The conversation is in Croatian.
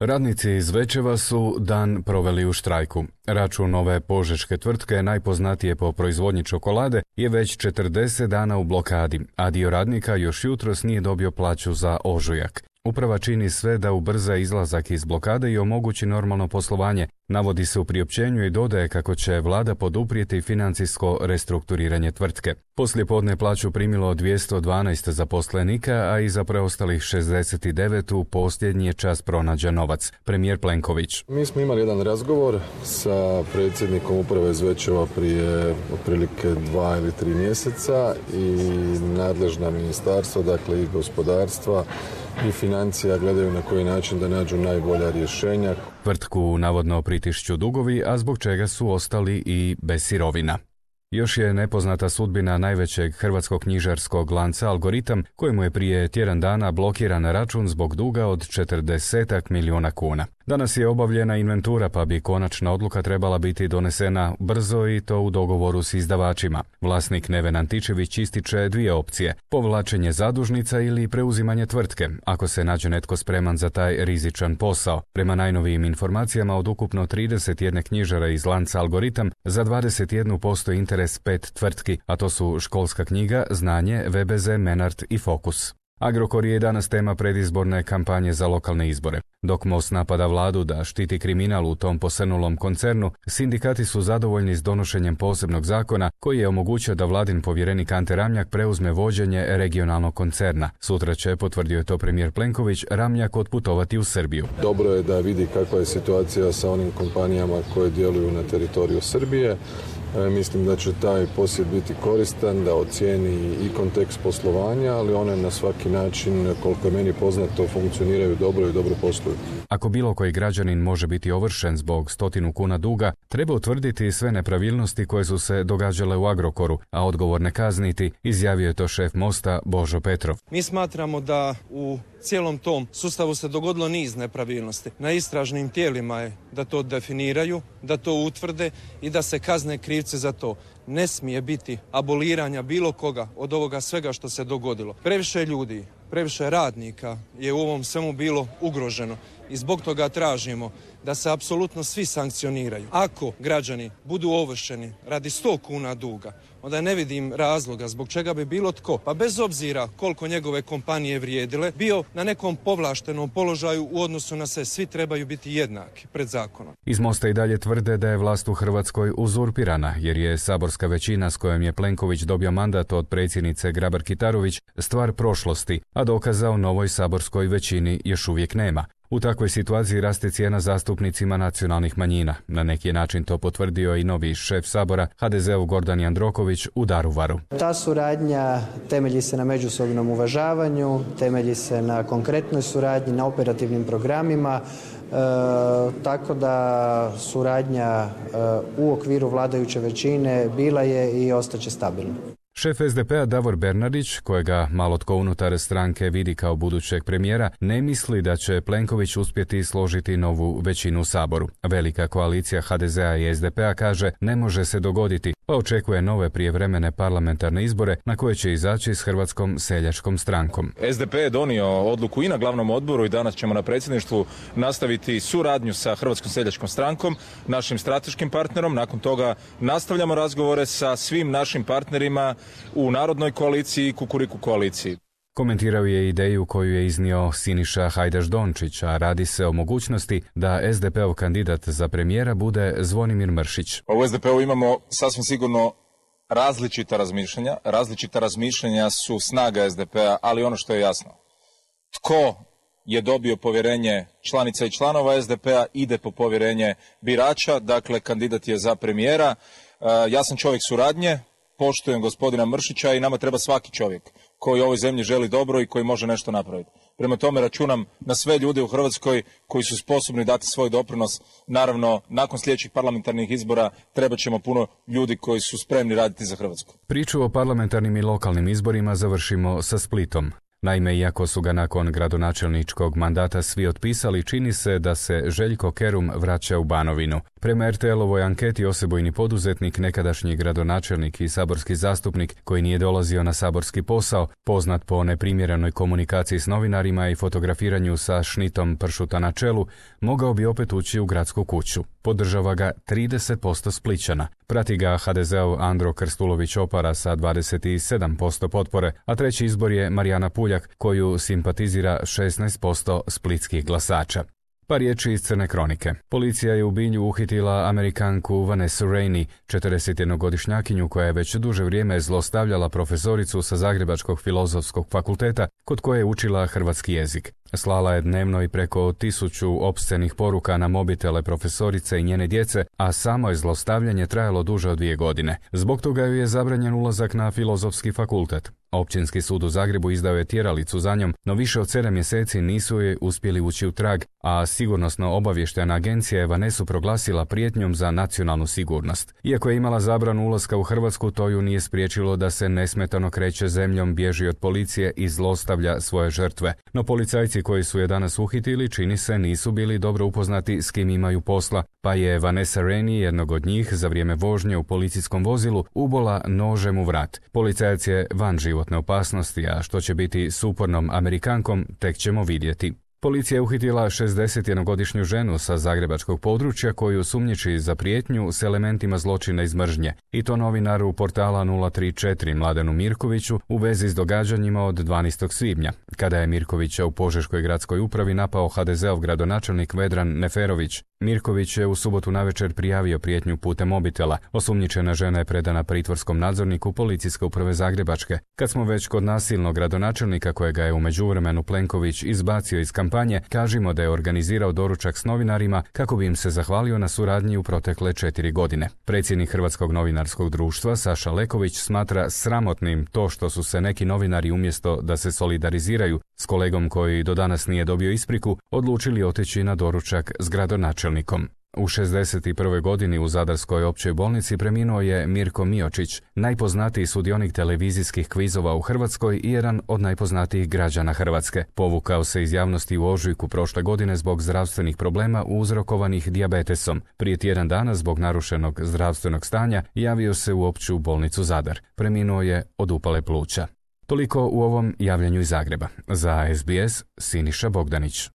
Radnici iz Zvečeva su dan proveli u štrajku. Račun ove požeške tvrtke, najpoznatije po proizvodnji čokolade, je već 40 dana u blokadi, a dio radnika još jutros nije dobio plaću za ožujak. Uprava čini sve da ubrza izlazak iz blokade i omogući normalno poslovanje. Navodi se u priopćenju i dodaje kako će vlada poduprijeti financijsko restrukturiranje tvrtke. Poslijepodne plaću primilo 212 zaposlenika, a i za preostalih 69 u posljednji je čas pronađen novac. Premijer Plenković. Mi smo imali jedan razgovor sa predsjednikom uprave Zvečeva prije otprilike 2 ili 3 mjeseca i nadležna ministarstva, dakle i gospodarstva i financija gledaju na koji način da nađu najbolja rješenja. Tvrtku navodno pritišću dugovi, a zbog čega su ostali i bez sirovina. Još je nepoznata sudbina najvećeg hrvatskog knjižarskog lanca Algoritam, kojemu je prije tjedan dana blokiran račun zbog duga od 40 milijuna kuna. Danas je obavljena inventura, pa bi konačna odluka trebala biti donesena brzo i to u dogovoru s izdavačima. Vlasnik Neven Antičević ističe dvije opcije: povlačenje zadužnica ili preuzimanje tvrtke, ako se nađe netko spreman za taj rizičan posao. Prema najnovijim informacijama, od ukupno 31 knjižara iz lanca Algoritam, za 21 postoji interes 5 tvrtki, a to su Školska knjiga, Znanje, VBZ, Menart i Fokus. Agrokor je danas tema predizborne kampanje za lokalne izbore. Dok MOST napada vladu da štiti kriminal u tom posrnulom koncernu, sindikati su zadovoljni s donošenjem posebnog zakona koji je omogućio da vladin povjerenik Ante Ramljak preuzme vođenje regionalnog koncerna. Sutra će, potvrdio je to premijer Plenković, Ramljak otputovati u Srbiju. Dobro je da vidi kakva je situacija sa onim kompanijama koje djeluju na teritoriju Srbije. Mislim da će taj posjet biti koristan, da ocijeni i kontekst poslovanja, ali one na svaki način, koliko je meni poznato, funkcioniraju dobro i dobro posluju. Ako bilo koji građanin može biti ovršen zbog 100 kuna duga, treba utvrditi sve nepravilnosti koje su se događale u Agrokoru, a odgovorne kazniti, izjavio je to šef MOST-a Božo Petrov. Mi smatramo da u cijelom tom sustavu se dogodilo niz nepravilnosti. Na istražnim tijelima je da to definiraju, da to utvrde i da se kazne krivce za to. Ne smije biti aboliranja bilo koga od ovoga svega što se dogodilo. Previše ljudi, previše radnika je u ovom svemu bilo ugroženo i zbog toga tražimo da se apsolutno svi sankcioniraju. Ako građani budu ovršeni radi 100 kuna duga, onda ne vidim razloga zbog čega bi bilo tko, pa bez obzira koliko njegove kompanije vrijedile, bio na nekom povlaštenom položaju u odnosu na sve. Svi trebaju biti jednaki pred zakonom. Iz MOST-a i dalje tvrde da je vlast u Hrvatskoj uzurpirana, jer je saborska većina s kojom je Plenković dobio mandat od predsjednice Grabar-Kitarović stvar prošlosti, a dokaza o novoj saborskoj većini još uvijek nema. U takvoj situaciji raste cijena zastupnicima nacionalnih manjina. Na neki način to potvrdio i novi šef Sabora, HDZ-u Gordan Jandroković, u Daruvaru. Ta suradnja temelji se na međusobnom uvažavanju, temelji se na konkretnoj suradnji, na operativnim programima, tako da suradnja u okviru vladajuće većine bila je i ostaće stabilna. Šef SDP-a Davor Bernardić, kojega malo tko unutar stranke vidi kao budućeg premijera, ne misli da će Plenković uspjeti složiti novu većinu u Saboru. Velika koalicija HDZ-a i SDP-a, kaže, ne može se dogoditi, pa očekuje nove prijevremene parlamentarne izbore na koje će izaći s Hrvatskom seljačkom strankom. SDP je donio odluku i na glavnom odboru i danas ćemo na predsjedništvu nastaviti suradnju sa Hrvatskom seljačkom strankom, našim strateškim partnerom. Nakon toga nastavljamo razgovore sa svim našim partnerima u Narodnoj koaliciji i Kukuriku koaliciji. Komentirao je ideju koju je iznio Siniša Hajdaš Dončić, a radi se o mogućnosti da SDP-ov kandidat za premijera bude Zvonimir Mršić. U SDP-u imamo sasvim sigurno različita razmišljanja. Različita razmišljanja su snaga SDP-a, ali ono što je jasno, tko je dobio povjerenje članica i članova SDP-a ide po povjerenje birača, dakle kandidat je za premijera. Ja sam čovjek suradnje, poštujem gospodina Mršića i nama treba svaki čovjek koji ovoj zemlji želi dobro i koji može nešto napraviti. Prema tome računam na sve ljude u Hrvatskoj koji su sposobni dati svoj doprinos. Naravno, nakon sljedećih parlamentarnih izbora trebat ćemo puno ljudi koji su spremni raditi za Hrvatsku. Priču o parlamentarnim i lokalnim izborima završimo sa Splitom. Naime, iako su ga nakon gradonačelničkog mandata svi otpisali, čini se da se Željko Kerum vraća u Banovinu. Prema RTL-ovoj anketi osebujni poduzetnik, nekadašnji gradonačelnik i saborski zastupnik koji nije dolazio na saborski posao, poznat po neprimjerenoj komunikaciji s novinarima i fotografiranju sa šnitom pršuta na čelu, mogao bi opet ući u gradsku kuću. Podržava ga 30% Splićana. Prati ga HDZ-ov Andro Krstulović-Opara sa 27% potpore, a treći izbor je Marijana Puljak koju simpatizira 16% splitskih glasača. Pa riječi iz Crne kronike. Policija je u Bilju uhitila Amerikanku Vanessa Rainey, 41-godišnjakinju koja je već duže vrijeme zlostavljala profesoricu sa Zagrebačkog filozofskog fakulteta kod koje je učila hrvatski jezik. Slala je dnevno i preko 1000 opscenih poruka na mobitele profesorice i njene djece, a samo je zlostavljanje trajalo duže od 2 godine. Zbog toga joj je zabranjen ulazak na filozofski fakultet. Općinski sud u Zagrebu izdao je tjeralicu za njom, no više od 7 mjeseci nisu je uspjeli ući u trag, a sigurnosno-obavještajna agencija je Vanesu proglasila prijetnjom za nacionalnu sigurnost. Iako je imala zabranu ulaska u Hrvatsku, to ju nije spriječilo da se nesmetano kreće zemljom, bježi od policije i zlostavlja svoje žrtve. No policajci koji su je danas uhitili, čini se, nisu bili dobro upoznati s kim imaju posla, pa je Vanessa Rainey, jednog od njih, za vrijeme vožnje u policijskom vozilu ubola nožem u vrat. Policajac je van životne opasnosti, a što će biti s upornom Amerikankom, tek ćemo vidjeti. Policija je uhitila 61-godišnju ženu sa zagrebačkog područja koju sumnjiči za prijetnju s elementima zločina iz mržnje, i to novinaru portala 034 Mladenu Mirkoviću u vezi s događanjima od 12. svibnja, kada je Mirkovića u Požeškoj gradskoj upravi napao HDZ-ov gradonačelnik Vedran Neferović. Mirković je u subotu navečer prijavio prijetnju putem mobitela. Osumnjičena žena je predana pritvorskom nadzorniku Policijske uprave Zagrebačke. Kad smo već kod nasilnog gradonačelnika kojega je u međuvremenu Plenković izbacio iz kampanje, kažimo da je organizirao doručak s novinarima kako bi im se zahvalio na suradnji u protekle 4 godine. Predsjednik Hrvatskog novinarskog društva Saša Leković smatra sramotnim to što su se neki novinari umjesto da se solidariziraju s kolegom koji do danas nije dobio ispriku, odlučili otići na doručak s gradonačelnikom. U 61. godini u Zadarskoj općoj bolnici preminuo je Mirko Miočić, najpoznatiji sudionik televizijskih kvizova u Hrvatskoj i jedan od najpoznatijih građana Hrvatske. Povukao se iz javnosti u ožujku prošle godine zbog zdravstvenih problema uzrokovanih dijabetesom. Prije tjedan dana zbog narušenog zdravstvenog stanja javio se u opću bolnicu Zadar. Preminuo je od upale pluća. Toliko u ovom javljanju iz Zagreba. Za SBS, Siniša Bogdanić.